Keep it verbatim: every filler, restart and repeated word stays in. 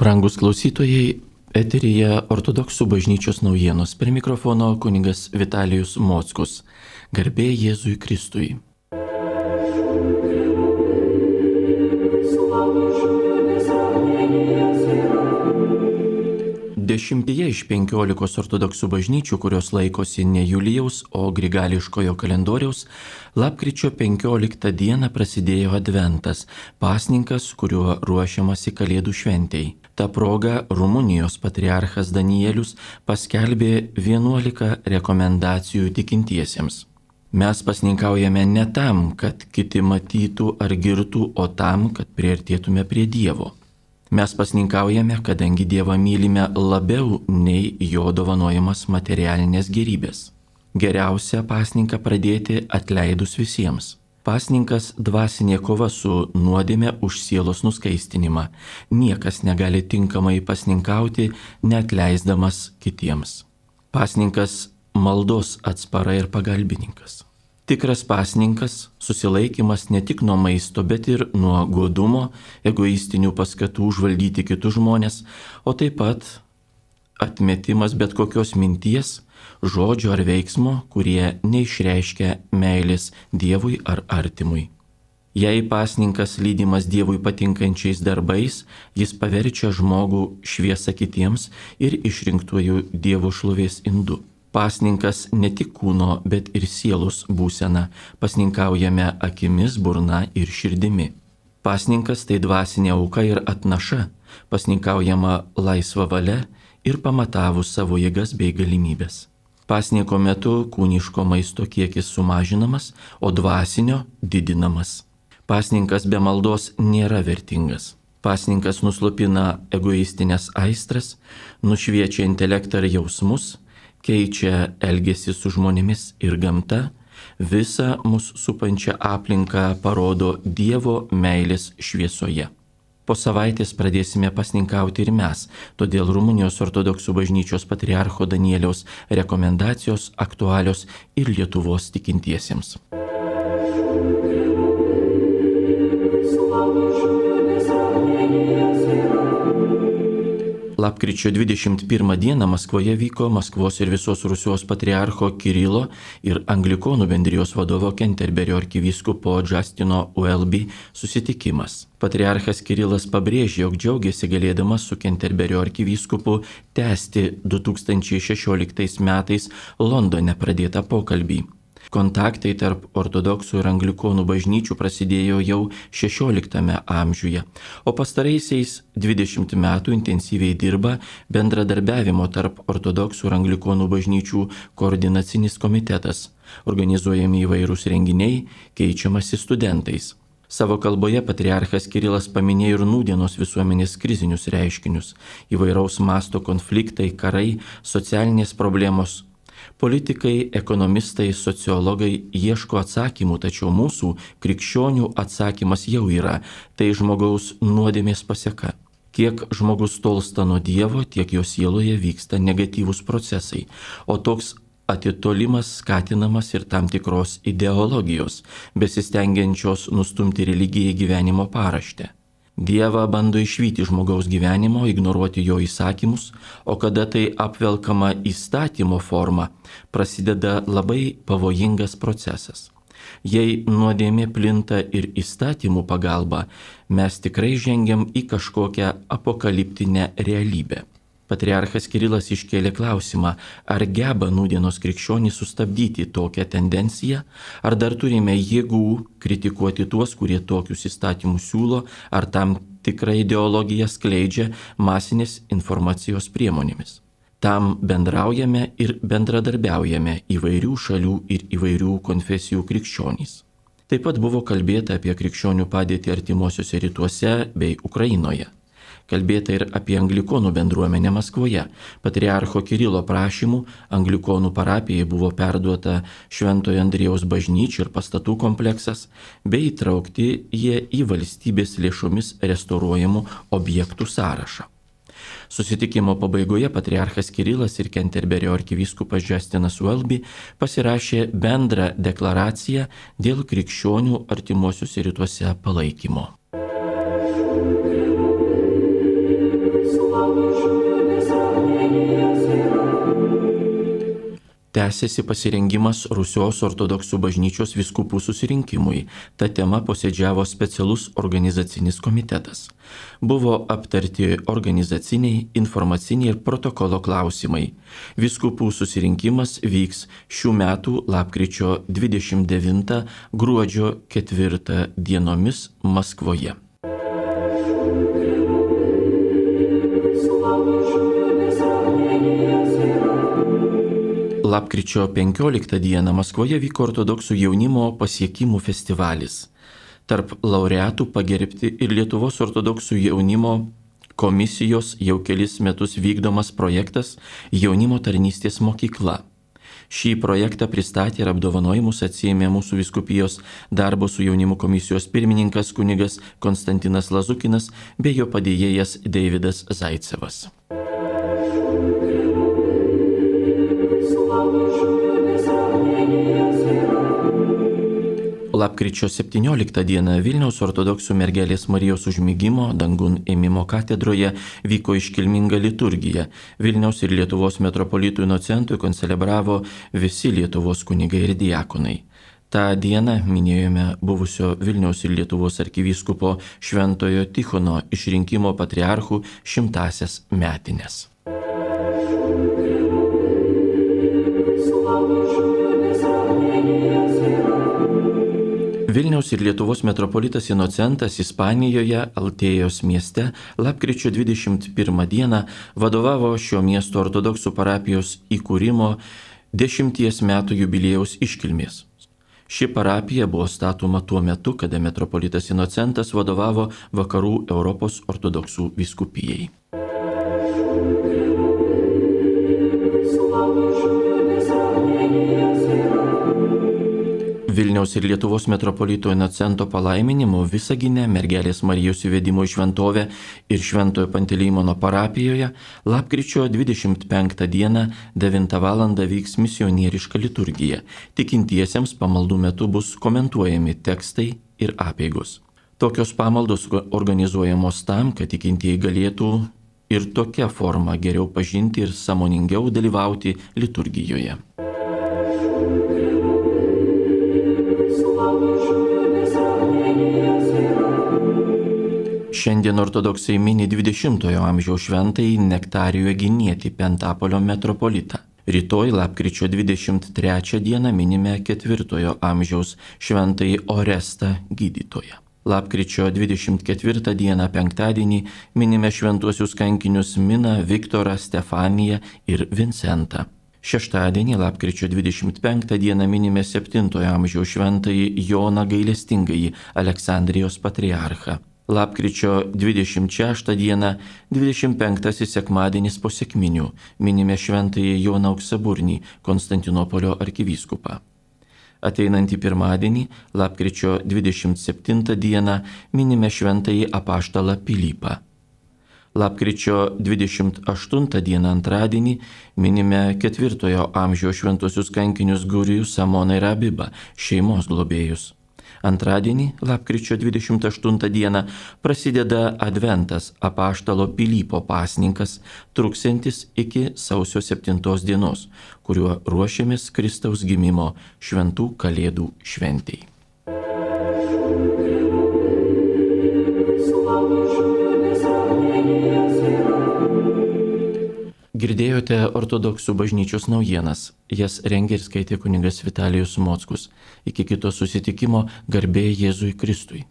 Brangus klausytojai, eteryje Ortodoksų bažnyčios naujienos. Prie mikrofono kunigas Vitalijus Mockus. Garbė Jėzui Kristui. Dešimtyje iš penkiolikos ortodoksų bažnyčių, kurios laikosi ne Julijaus, o grigališkojo kalendoriaus, lapkričio penkioliktą dieną prasidėjo Adventas, pasninkas, kuriuo ruošiamasi Kalėdų šventei. Ta proga Rumunijos patriarchas Danielius paskelbė vienuolika rekomendacijų tikintiesiems. Mes pasninkaujame ne tam, kad kiti matytų ar girtų, o tam, kad priartėtume prie Dievo. Mes pasninkaujame, kadangi Dievą mylime labiau nei jo dovanojamas materialinės gerybės. Geriausia pasninką pradėti atleidus visiems. Pasninkas dvasinė kova su nuodėme už sielos nuskaistinimą. Niekas negali tinkamai pasninkauti, neatleisdamas kitiems. Pasninkas maldos atspara ir pagalbininkas. Tikras pasninkas – susilaikimas ne tik nuo maisto, bet ir nuo godumo, egoistinių paskatų užvaldyti kitus žmonės, o taip pat atmetimas bet kokios minties, žodžio ar veiksmo, kurie neišreiškia meilės Dievui ar artimui. Jei pasninkas lydimas Dievui patinkančiais darbais, jis paverčia žmogų šviesą kitiems ir išrinktuoju Dievo šlovės indu. Pasninkas ne tik kūno, bet ir sielos būsena. Pasninkaujame akimis, burna ir širdimi. Pasninkas tai dvasinė auka ir atnaša. Pasninkaujama laisva valia ir pamatavus savo jėgas bei galimybės. Pasninko metu kūniško maisto kiekis sumažinamas, o dvasinio didinamas. Pasninkas be maldos nėra vertingas. Pasninkas nuslopina egoistinės aistras, nušviečia intelektą ir jausmus, keičia elgesį su žmonėmis ir gamta, visą mus supančią aplinką parodo Dievo meilės šviesoje. Po savaitės pradėsime pasninkauti ir mes, todėl Rumunijos ortodoksų bažnyčios patriarcho Danieliaus rekomendacijos aktualios ir Lietuvos tikintiesiems. Lapkričio dvidešimt pirmą dieną Maskvoje vyko Maskvos ir visos Rusijos patriarcho Kirilo ir Anglikonų bendrijos vadovo Kenterberio arkivyskupo Justino Welby susitikimas. Patriarchas Kirilas pabrėžė, jog džiaugiasi galėdamas su Kenterberio arkivyskupu tęsti du tūkstančiai šešioliktais metais Londone pradėtą pokalbį. Kontaktai tarp ortodoksų ir anglikonų bažnyčių prasidėjo jau šešioliktame amžiuje, o pastaraisiais dvidešimt metų intensyviai dirba bendradarbiavimo tarp ortodoksų ir anglikonų bažnyčių koordinacinis komitetas, organizuojami įvairūs renginiai, keičiamasi studentais. Savo kalboje patriarchas Kirilas paminėjo ir nūdienos visuomenės krizinius reiškinius, įvairaus masto konfliktai, karai, socialinės problemos. Politikai, ekonomistai, sociologai ieško atsakymų, tačiau mūsų krikščionių atsakymas jau yra – tai žmogaus nuodėmės paseka. Kiek žmogus tolsta nuo Dievo, tiek jo sieloje vyksta negatyvūs procesai, o toks atitolimas skatinamas ir tam tikros ideologijos, besistengiančios nustumti religiją į gyvenimo paraštę. Dievą bando išvyti žmogaus gyvenimo, ignoruoti jo įsakymus, o kada tai apvelkama įstatymo forma, prasideda labai pavojingas procesas. Jei nuodėmė plinta ir įstatymų pagalba, mes tikrai žengiam į kažkokią apokaliptinę realybę. Patriarchas Kirilas iškėlė klausimą, ar geba nūdienos krikščionys sustabdyti tokią tendenciją, ar dar turime jėgų kritikuoti tuos, kurie tokius įstatymus siūlo, ar tam tikrą ideologiją skleidžia masinės informacijos priemonėmis. Tam bendraujame ir bendradarbiaujame įvairių šalių ir įvairių konfesijų krikščionys. Taip pat buvo kalbėta apie krikščionių padėtį artimuosiuose rytuose bei Ukrainoje. Kalbėta ir apie anglikonų bendruomenę Maskvoje. Patriarcho Kirilo prašymų anglikonų parapijai buvo perduota Šventojo Andriejaus bažnyčia ir pastatų kompleksas, bei įtraukti jie į valstybės lėšomis restauruojamų objektų sąrašą. Susitikimo pabaigoje patriarchas Kirilas ir Kenterberio arkivyskupas Justinas Welby pasirašė bendrą deklaraciją dėl krikščionių artimuosiuose rytuose palaikymo. Tęsiasi pasirengimas Rusijos ortodoksų bažnyčios vyskupų susirinkimui. Ta tema posėdžiavo specialus organizacinis komitetas. Buvo aptarti organizaciniai, informaciniai ir protokolo klausimai. Vyskupų susirinkimas vyks šių metų lapkričio dvidešimt devintą gruodžio ketvirtą dienomis Maskvoje. Lapkričio penkioliktą dieną Maskvoje vyko ortodoksų jaunimo pasiekimų festivalis. Tarp laureatų pagerbti ir Lietuvos ortodoksų jaunimo komisijos jau kelis metus vykdomas projektas Jaunimo tarnystės mokykla. Šį projektą pristatė ir apdovanojimus atsiėmė mūsų vyskupijos darbo su jaunimu komisijos pirmininkas kunigas Konstantinas Lazukinas bei jo padėjėjas Deividas Zaicevas. Lapkričio septynioliktą dieną Vilniaus ortodoksų mergelės Marijos užmigimo dangun ėmimo katedroje vyko iškilminga liturgija. Vilniaus ir Lietuvos metropolitų inocentui koncelebravo visi Lietuvos kunigai ir diakonai. Ta diena minėjome buvusio Vilniaus ir Lietuvos arkivyskupo Šventojo Tichono išrinkimo patriarchų šimtasias metines. Vilniaus ir Lietuvos metropolitas Inocentas Ispanijoje, Altėjos mieste, lapkričio dvidešimt pirmą dieną vadovavo šio miesto ortodoksų parapijos įkūrimo dešimties metų jubiliejaus iškilmės. Ši parapija buvo statoma tuo metu, kada metropolitas Inocentas vadovavo Vakarų Europos ortodoksų vyskupijai. Vilniaus ir Lietuvos metropolito Inocento palaiminimu Visagine mergelės Marijos įvedimo į šventovę ir Šventojo Panteleimono parapijoje lapkričio dvidešimt penktą dieną devintą valandą vyks misionieriška liturgija. Tikintiesiems pamaldų metu bus komentuojami tekstai ir apeigos. Tokios pamaldos organizuojamos tam, kad tikintieji galėtų ir tokia forma geriau pažinti ir sąmoningiau dalyvauti liturgijoje. Šiandien ortodoksai mini dvidešimtojo amžiaus šventąjį Nektarijų Eginietį Pentapolio metropolitą. Rytoj lapkričio dvidešimt trečią dieną minime ketvirtojo amžiaus šventąjį Orestą gydytoją. Lapkričio dvidešimt ketvirtą dieną penktadienį minime šventuosius kankinius Miną, Viktorą, Stefaniją ir Vincentą. Šeštadienį, lapkričio dvidešimt penktą dieną minime septintojo amžiaus šventąjį Joną Gailestingąjį, Aleksandrijos patriarchą. Lapkričio dvidešimt šeštą dieną, dvidešimt penktasis sekmadienis po sekminių, minime šventąjį Joną Auksaburnį, Konstantinopolio arkivyskupą. Ateinantį pirmadienį, lapkričio dvidešimt septintą dieną, minime šventąjį apaštalą Pilypą. Lapkričio dvidešimt aštuntą dieną antradienį minime ketvirtojo amžiaus šventuosius kankinius Gurijų, Samoną ir Abibą, šeimos globėjus. Antradienį, lapkričio dvidešimt aštuntą dieną, prasideda Adventas apaštalo Pilypo pasninkas, truksiantis iki sausio septintos dienos, kuriuo ruošiamės Kristaus gimimo šventų kalėdų šventei. Girdėjote ortodoksų bažnyčios naujienas. Jas rengė ir skaitė kunigas Vitalijus Mockus. Iki kito susitikimo, garbė Jėzui Kristui.